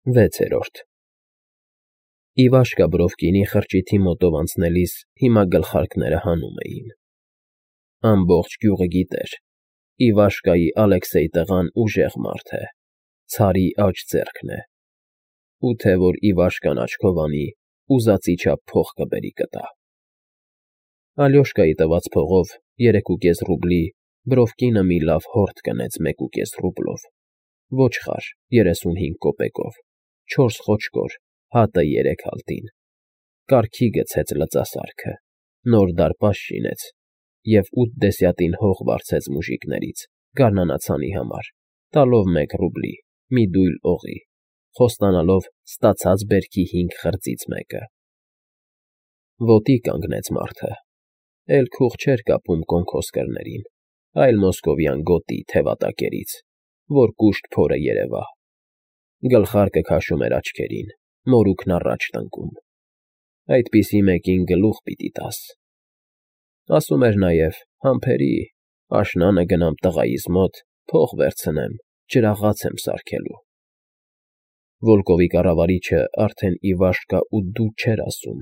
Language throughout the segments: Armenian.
6-րդ Իվաշկա Բրովկինի խրճիթի մոտով անցնելիս հիմա գլխարկները հանում էին։ Ամբողջ գյուղը գիտեր. Իվաշկայի Ալեքսեյ տղան ուժեղ մարդ է, ցարի աջ ձեռքն է, ու թե որ Իվաշկան աչքով անի, ուզածի չափ փող կբերի կտա։ Ալյոշկայի տված փողով 3.5 ռուբլի Բրովկինը մի լավ հորթ կնեց 1.5 ռուբլով, ոչխար 35 կոպեկով, 4 խոչկոր, հատը 3 հալտին, կառքի գցեց լծասարքը, նոր դարպաս շինեց և 8 դեսյատին հող վարձեց մուժիկներից գարնանացանի համար, տալով 1 ռուբլի, մի դույլ օղի, խոստանալով ստացած բերքի 5 խրձից մեկը։ Ոտի կանգնեց մարդը, էլ քուղ չէր կապում կոնքոսկրներին, այլ մոսկովյան գոտի թևատակերից, որ կուշտ փորը երևա։ Գլխարկը քաշում էր աչքերին, մորուքն առաջ տնկում։ Այդպիսի մեկին գլուխ պիտի տաս։ Ասում էր նաև. «Համբերի, աշնանը գնամ տղայիս մոտ, փող վերցնեմ, ջրաղաց եմ սարքելու»։ Վոլկովի կառավարիչը արդեն Իվաշկա ու դու չէր ասում,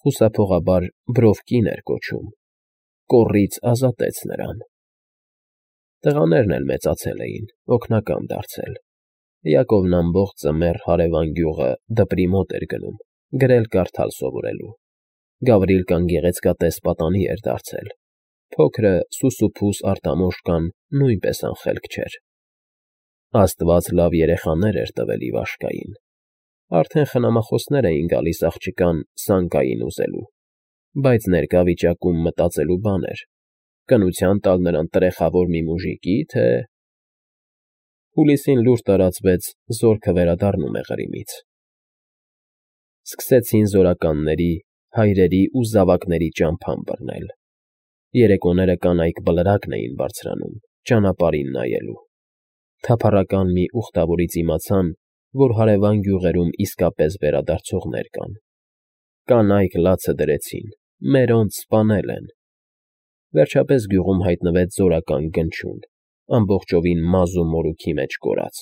խուսափողաբար Բրովկին էր կոչում, կոռից ազատեց նրան։ Տղաներն էլ մեծացել էին, օգնական դարձել։ Յակովն ամբողջ ձմեռ հարևան գյուղը դպրի մոտ էր գնում, գրել֊կարդալ սովորելու։ Գավրիլկան գեղեցկատես պատանի էր դարձել, փոքրը Սուսուփուս Արտամոշկան նույնպես անխելք չէր։ Աստված լավ երեխաներ էր տվել Իվաշկային, արդեն խնամախոսներ էին գալիս աղջկան սանկային ուզելու, բայց ներկա վիճակում մտածելու բան էր. կնության տալ նրան տրեխավոր մի մուժիկի, թե… Հուլիսին լուր տարածվեց զորքը վերադառնում է Ղրիմից։ Սկսեցին զորականների, հայրերի ու զավակների ճամփան բռնել։ Երեկոները կանայք բլրակն էին բարձրանում, ճանապարհին նայելու։ Թափառական մի ուխտավորից իմացան, որ հարևան գյուղերում իսկապես վերադարձողներ կան։ Կանայք լացը դրեցին, մերոնց սպանել են։ Վերջապես գյուղում հայտնվեց զորական գնչուն, ամբողջովին մազ ու մորուքի մեջ կորած,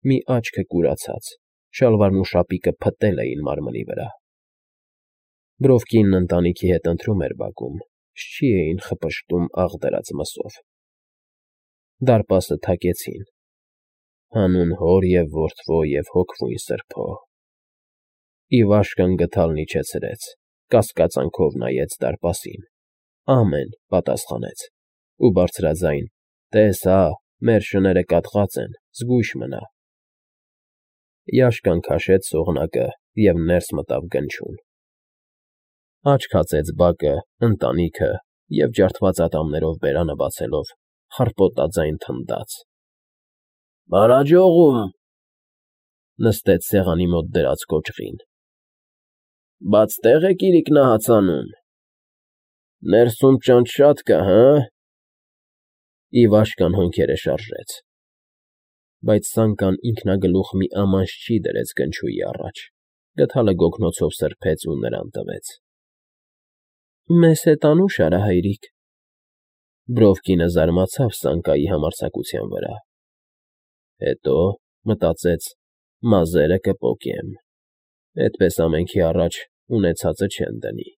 մի աչքը կուրացած, շալվարն ու շապիկը փտել էին մարմնի վրա։ Բրովկինն ընտանիքի հետ ընթրում էր բակում, շչի էին խպշտում աղդրած մսով։ Դարպասը թակեցին, հանուն հոր և որդվո և հոգվույն սրբո։ Իվաշկան գդալն իջեցրեց, կասկածանքով նայեց դարպասին, ամեն պատասխանեց, ու բարձրաձայն. «Տես հա, մեր շները կաթված են, զգույշ մնա»։ Յաշկան քաշեց սողնակը և ներս մտավ գնչուն։ Աչք հացեց բակը, ընտանիքը և ջարդված ատամներով բերանը բացելով խռպոտաձայն թնդաց. «Բարաջողում»։ Նստեց սեղանի մոտ դրած կոճղին։ «Բաց տեղ եք իրիկնահացանում։ Ներսում ճանճ շատ կա, հը՞։ Իվաշկան հոնքերը շարժեց։ Բայց Սանկան ինքնագլուխ մի ամանջջի դրեց գնչուի առաջ, գդալը գոգնոցով սրբեց ու նրան տվեց։ Մեզ հետ անուշ արա, հայրիկ։ Բրովկինը զարմացավ Սանկայի համարձակության վրա։ Հետո մտածեց. մազերը կպոկեմ, էդպես ամենքի առաջ ունեցածը չեն դնի,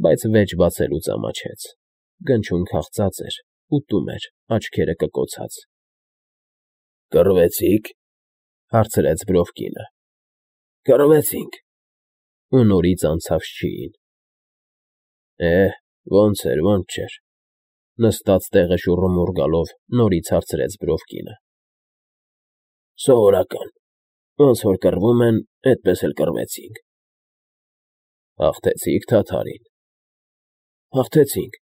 բայց վեճ բացելուց ամաչեց, գնչուն քաղծած էր, ուտում էր, աչքերը կկոցած։ Կռվեցի՞ք, հարցրեց Բրովկինը։ Կռվեցինք, ու նորից անցավ շչիին։ Ոնց էր, ոնց չէր, նստած տեղը շուռումուռ գալով նորից հարցրեց Բրովկինը։ Սովորական, ոնց որ կռվում են, էդպես էլ կռվեցինք։ Հաղթեցի՞ք թաթարին։ Հաղթեցինք,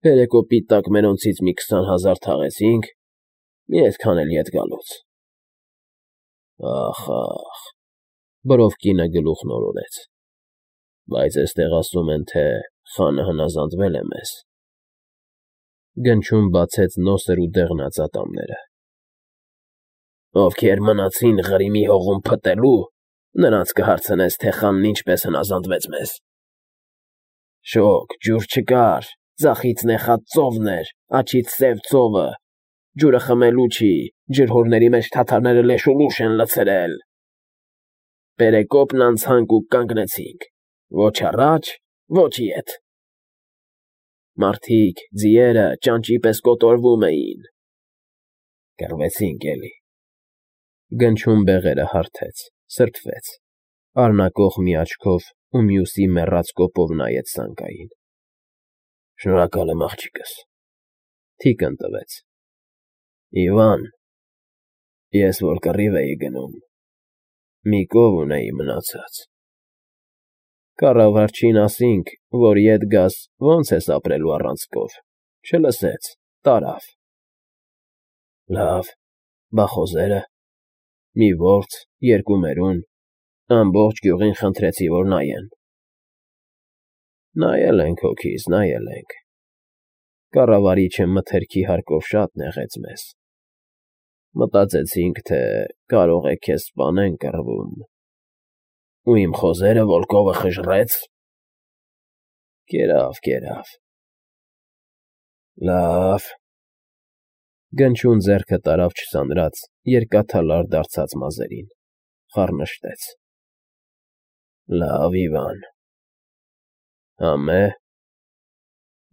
երեկո պիտակ մերոնցից մի 20,000 թաղեցինք, մի այդքան էլ ետ գալուց։ Ախ, Բրովկինը գլուխն օրորեց։ Բայց էստեղ ասում են, թե խանը հնազանդվել է մեզ։ Գնչուն բացեց նոսր ու դեղնած ատամները։ Ովքեր մնացին Ղրիմի հողում փտելու, նրանց կհարցնես, թե խանն ինչպես հնազանդվեց մեզ։ Շոգ, ջուր չկար, ձախից նեխած ծովն էր, աջից սև ծովը, ջուրը խմելու չի, ջրհորների մեջ թաթարները լեշ ու լուշ են լցրել։ Պերեկոպն անցանք ու կանգնեցինք, ոչ առաջ, ոչ ետ։ Մարդիկ, ձիերը ճանճի պես կոտորվում էին։ Կռվեցինք էլի։ Գնչուն բեղերը հարթեց, սրբվեց, առնակող մի աչքով ու մյուսի մեռած կոպով նայեց սանգային։ Շնորհակալ եմ, աղջիկս։ Թիկն տվեց։ Իվան, ես որ կռիվ էի գնում, մի կով ունեի մնացած։ Կառավարչին ասինք, որ ետ գաս, ոնց ես ապրելու առանց կով, չլսեց, տարավ։ Լավ, բա խոզերը։ Մի որց, երկու մերուն, ամբողջ գյուղին խնդրեցի, որ նայեն։ Նայել ենք հոգիս, նայել ենք։ Կառավարիչը մթերքի հարկով շատ նեղեց մեզ։ Մտածեցինք, թե կարող է քեզ սպանեն կռվում։ Ու իմ խոզերը վոլկովը խժռեց։ Կերավ։ Լավ։ Գնչուն ձեռքը տարավ չսանրած, երկաթալար դարձած մազերին, խառնշտեց։ Լավ, Իվան։ Համե։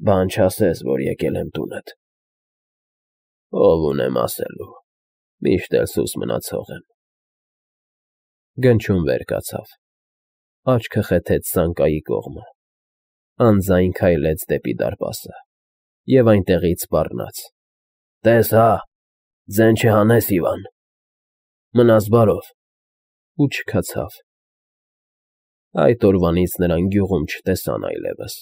Բան չասես, որ եկել եմ տունդ։ Ով ունեմ ասելու, միշտ էլ սուս մնացող եմ։ Գնչուն վեր կացավ, աչքը խեթեց սանկայի կողմը, անձայն քայլեց դեպի դարպասը և այնտեղից սպառնաց. Տես հա, ձեն չհանես, Իվան։ Մնաս բարով, ու չքացավ։ Այդ օրվանից նրան գյուղում չտեսան այլևս։